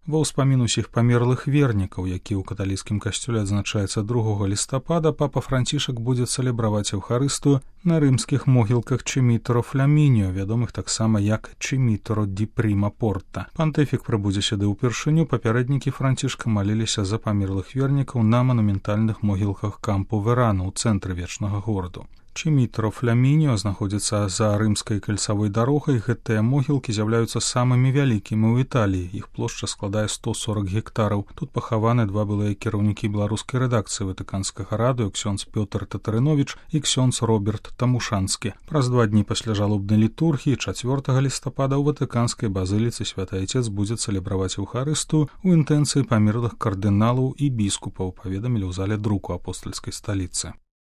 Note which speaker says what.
Speaker 1: Ва ўспамін усіх памерлых вернікаў, які ў каталіцкім касцёле адзначаецца 2 лістапада, папа Францішак будзе цэлебраваць Еўхарыстыю на рымскіх могілках Чимітеро Флямініо, вядомых таксама як Чимітеро ді Пріма Порта. Пантыфік прыбудзе сюды ўпершыню, папярэднікі Францішка маліліся за памерлых вернікаў на манументальных могілках Кампу Верана ў цэнтры вечнага гораду. Чимітеро Флямініо знаходзіцца за рымскай кальцавой дарогай. Гэтыя могілкі з'яўляюцца самымі вялікімі ў Італіі. Іх плошча складае 140 гектараў. Тут пахаваны 2 былыя кіраўнікі беларускай рэдакцыі Ватыканскага радыё, ксёндз Пётр Татарыновіч і ксёндз Роберт Тамушанскі. Праз 2 дні пасля жалобнай літургіі 4 лістапада ў Ватыканскай базыліцы Святы Айцец будзе цэлебраваць Еўхарыстыю ў інтэнцыі памерлых кардыналаў і біскупаў, паведамілі ў зале друку апостальскай сталіцы.